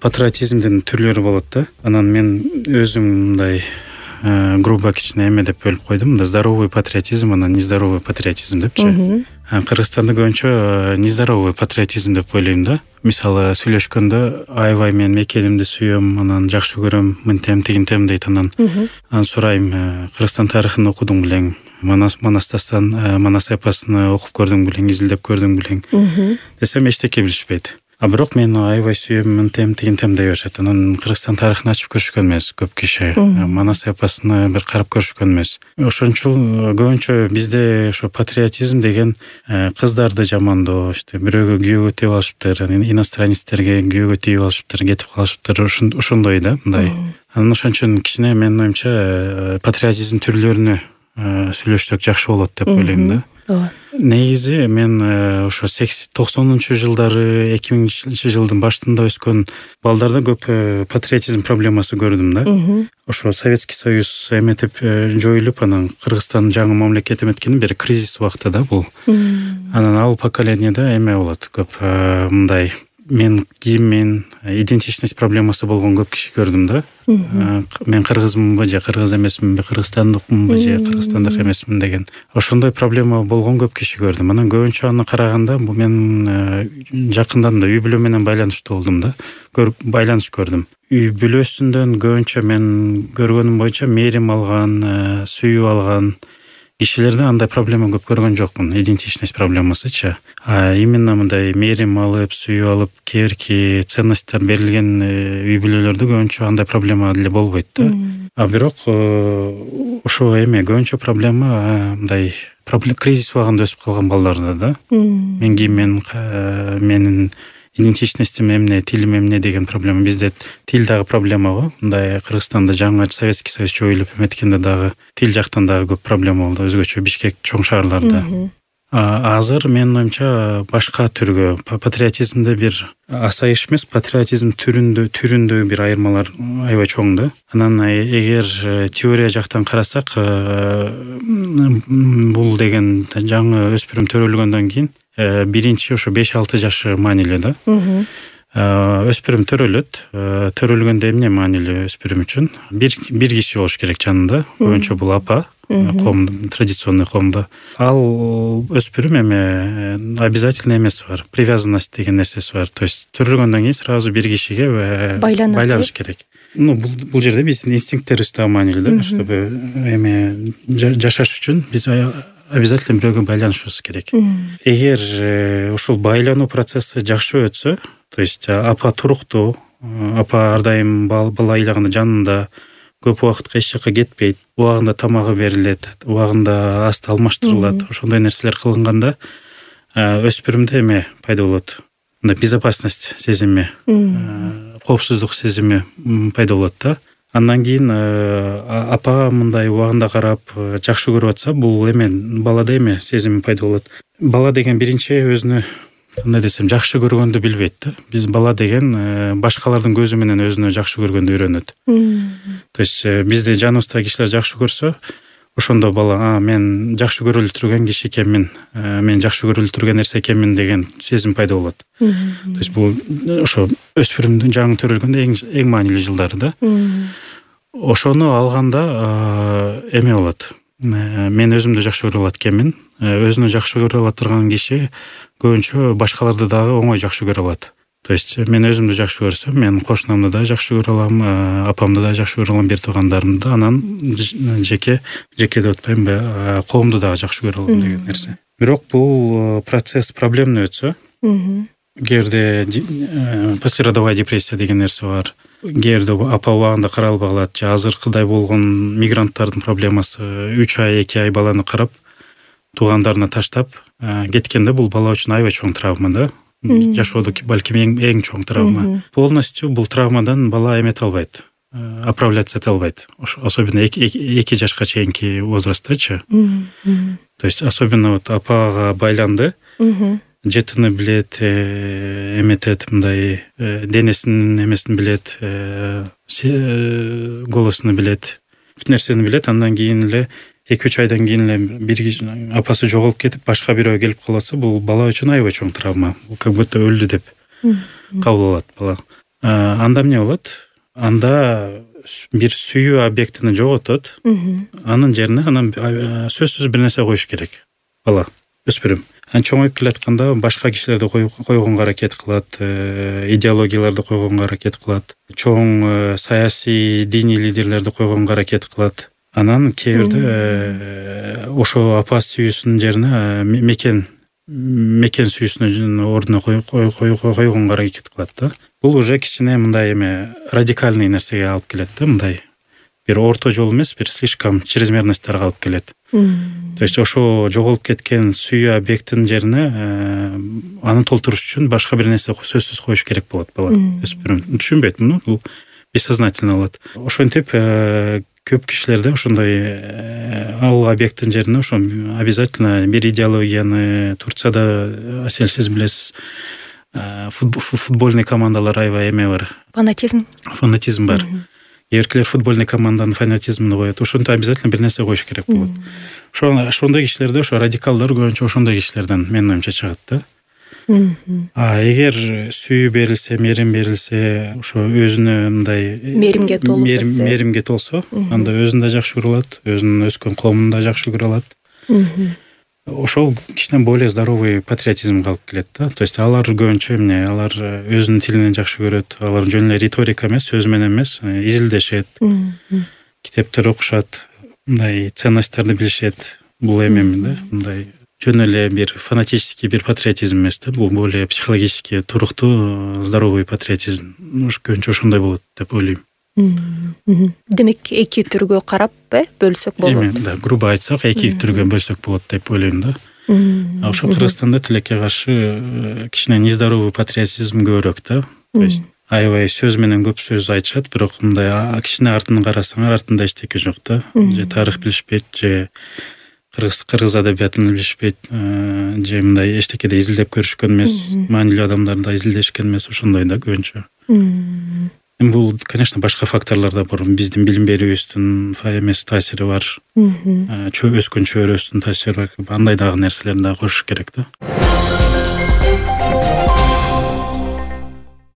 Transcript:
патриотизмдин түрлөрү болот да. Анан мен өзүм мындай грубо кичине эме деп бөлүп койдум. Мында здоровый патриотизм, анан нездоровый патриотизм депчи. Кыргызстанда көбүнчө нездоровый патриотизм деп ойлойм да. Мисалы сүйлөшкөндө аябай мен мекелимди сүйөм, анан жакшы көрөм, мынтем тигинтем дейт. Анан сурайм, Кыргызстан тарыхын окудуң белең, Манас эпосун окуп көрдүң белең, изилдеп көрдүң белең десем эчтеке билишпейт. А бирок мен аябай сүйөм, мынтем тигинтем дей беришет. Анан Кыргызстан тарыхын ачып көрүшкөн эмес көп киши. Манас эпосуна бир карап көрүшкөн эмес. Ошон үчүн көбүнчө бизде ошо патриотизм деген кыздарды жамандоо, бирөөгө күйөөгө тийип алышыптыр, иностранецтерге күйөөгө тийип алышыптыр, кетип калышыптыр, ошондой да, мындай. Анан ошон үчүн кичине менин оюмча патриотизм түрлөрүнө сүйлөшсөк жакшы болот деп ойлойм да. Негизи мен ошо 90-жылдары, 2000-жылдын башында өскөн балдарда көп патриотизм проблемасы көрдүм да. Ошо Советский Союз эметип жоюлуп, анан Кыргызстан жаңы мамлекет эметкенин бери кризис убакыты да бул. Анан ал поколениеде эме болот көп, мындай мен кийиммен идентичность проблемасы болгон көп киши көрдүм да. Мен кыргызмынбы же кыргыз эмесминби, кыргызстандыкмынбы же кыргызстандык эмесмин деген ошондой проблема болгон көп киши көрдүм. Анан көбүнчө аны караганда бул мен жакындан да үй бүлө менен байланыштуу болдум да. Байланыш көрдүм. Үй бүлөсүндөн көбүнчө мен көргөнүм боюнча мээрим алган, сүйүп алган кишилерде андай проблема көп көргөн жокмун, идентичность проблемасычы. Именно мындай мээрим алып, сүйүп алып, кээ ценностьтер берилген үй бүлөлөрдө көбүнчө андай проблема деле болбойт да. А бирок ошо эме көбүнчө проблема мындай кризис убагында өсүп калган балдарда да. Мен кийиммен, менин идентичностьтим эмне, тилим эмне деген проблема. Бизде тил дагы проблема го. Мындай Кыргызстанда жаңы Советский Союз жоюлуп эметкенде дагы тил жактан дагы көп проблема болду, өзгөчө Бишкек, чоң шаарларда. Азыр менин оюмча башка түргө патриотизмде бир асайыш эмес, патриотизм түрүндө бир айырмалар аябай чоң да. Анан эгер теория жактан карасак, бул деген жаңы өспүрүм төрөлгөндөн кийин биринчи ошо 5-6 жашы маанилүү да. Өспүрүм төрөлгөндө эмне маанилүү өспүрүм үчүн? Бир киши болуш керек жанында, көбүнчө бул апа, традиционный коомдо. Ал өспүрүм эме обязательно эмеси бар, привязанность деген нерсеси бар. То есть төрөлгөндөн кийин сразу бир кишиге байланыш керек. Бул жерде биздин инстинкттерибиз да маанилүү да, чтобы эме жашаш үчүн биз обязательно бирөөгө байланышыбыз керек. Эгер ушул байлануу процесси жакшы өтсө, то есть апа туруктуу, апа ар дайым бала ыйлаганда жанында, көп убакытка эч жака кетпейт, убагында тамагы берилет, убагында асты алмаштырылат, ошондой нерселер кылынганда өспүрүмдө эме пайда болот. Мындай безопасность сезими, коопсуздук сезими пайда болот да. Андан кийин апа мындай убагында карап жакшы көрүп атса, бул эме балада эме сезим пайда болот. Бала деген биринчи өзүнө кандай десем жакшы көргөндү билбейт да. Биз бала деген башкалардын көзү менен өзүнө жакшы көргөндү үйрөнөт. То есть бизди жаныбызда кишилер жакшы көрсө, ошондо бала мен жакшы көрүлүп турган киши экенмин, мен жакшы көрүлүп турган нерсе экенмин деген сезим пайда болот. То есть бул ошо өспүрүмдүн жаңы төрөлгөндө эң маанилүү жылдары да. Ошону алганда эме болот. Мен өзүмдү жакшы көрүп алат экенмин. Өзүнү жакшы көрүп ала турган киши көбүнчө башкаларды дагы оңой жакшы көрүп алат. То есть мен өзүмдү жакшы көрсөм, мен кошунамды да жакшы көрүп алам, апамды да жакшы көрүп алам, бир туугандарымды, анан жеке деп атпаймынбы, коомду дагы жакшы көрүп алам деген нерсе. Бирок бул процесс проблемный өтсө, кээде послеродовая депрессия деген нерсе бар. Кээде апа убагында каралбай калат, же азыркыдай болгон мигранттардын проблемасы 3 ай, 2 ай баланы карап, туугандарына таштап кеткенде бул бала үчүн аябай чоң травма да. Жашоодо балким эң чоң травма. Полностью бул травмадан бала эмете албайт, оправляться эте албайт. Особенно 2 жашка чейинки возрасттачы. То есть особенно вот апага байланды, жетини билет, эметет, мындай денесинин эмесин билет, голосуну билет, бүт нерсени билет. Андан кийин эле 2-3 айдан кийин эле бир апасы жоголуп кетип, башка бирөө келип калса, бул бала үчүн аябай чоң травма. Бул как будто өлдү деп кабыл алат бала. анда эмне болот? Анда бир сүйүү объектини жоготот. Анын жерине анан сөзсүз бир нерсе коюш керек бала, өспүрүм. Чоңоюп келатканда башка кишилерди койгонго аракет кылат, идеологияларды койгонго аракет кылат, чоң саясий, диний лидерлерди койгонго аракет кылат. Анан кээ бирде ошо апа сүйүүсүнүн жерине мекен сүйүүсүнүн ордуна койгонго аракет кылат да. Бул уже кичине мындай радикальный нерсеге алып келет да, мындай бир орто жол эмес, бир слишком чрезмерностьтарга алып келет. То есть ошо жоголуп кеткен сүйүү объектинин жерине аны толтуруш үчүн башка бир нерсе сөзсүз коюш керек болот бала, өспүрүм. Түшүнбөйт муну, бул бессознательно болот. Ошентип көп кишилерде ошондой ал объекттин жерине ошо обязательно бир идеологияны, Турцияда Асель сиз билесиз, футбольный командалар аябай бар. Фанатизм бар. Эркелер футбольный команданын фанатизмин коет. Ошонто обязательно бир нерсе коюш керек болот. Ошондой кишилерде ошо радикалдар көбүнчө ошондой кишилерден менин оюмча чыгат да. Эгер сүйүү берилсе, мерим берилсе, ошо өзүнө мындай меримге толсо, анда өзүн да жакшы көрө алат, өзүнүн өскөн коомун да жакшы көрө алат. Ошол кичине более здоровый патриотизмге алып келет да. То есть алар көбүнчө алар өзүнүн тилин жакшы көрөт, алар жөн эле риторика эмес, сөз менен эмес, изилдешет, китептер окушат, мындай ценностьтарды билишет. Бул да, мындай жөн эле бир фанатический бир патриотизм эмес да, бул более психологически туруктуу, здоровый патриотизм. Көбүнчө ошондой болот деп ойлойм. Демек эки түргө карап бөлсөк болот. Да, грубо айтсак, эки түргө бөлсөк болот деп ойлойм да. Ошо Кыргызстанда тилекке каршы кичине нездоровый патриотизм көбүрөөк да. То есть аябай сөз менен көп сөз айтышат, бирок мындай кичине артын карасаң, артында эчтеке жок да. Же тарых билишпейт, же кыргыз адабиятын билишпейт, же мындай эчтекеде изилдеп көрүшкөн эмес, маанилүү адамдарды изилдешкен эмес, ошондой да көбүнчө. Бул, конечно, башка факторлор да бар. Биздин билим берүүбүздүн эмес таасири бар. Өскөн чөйрөсүнүн таасири бар. Андай дагы нерселерди да коюш керек да.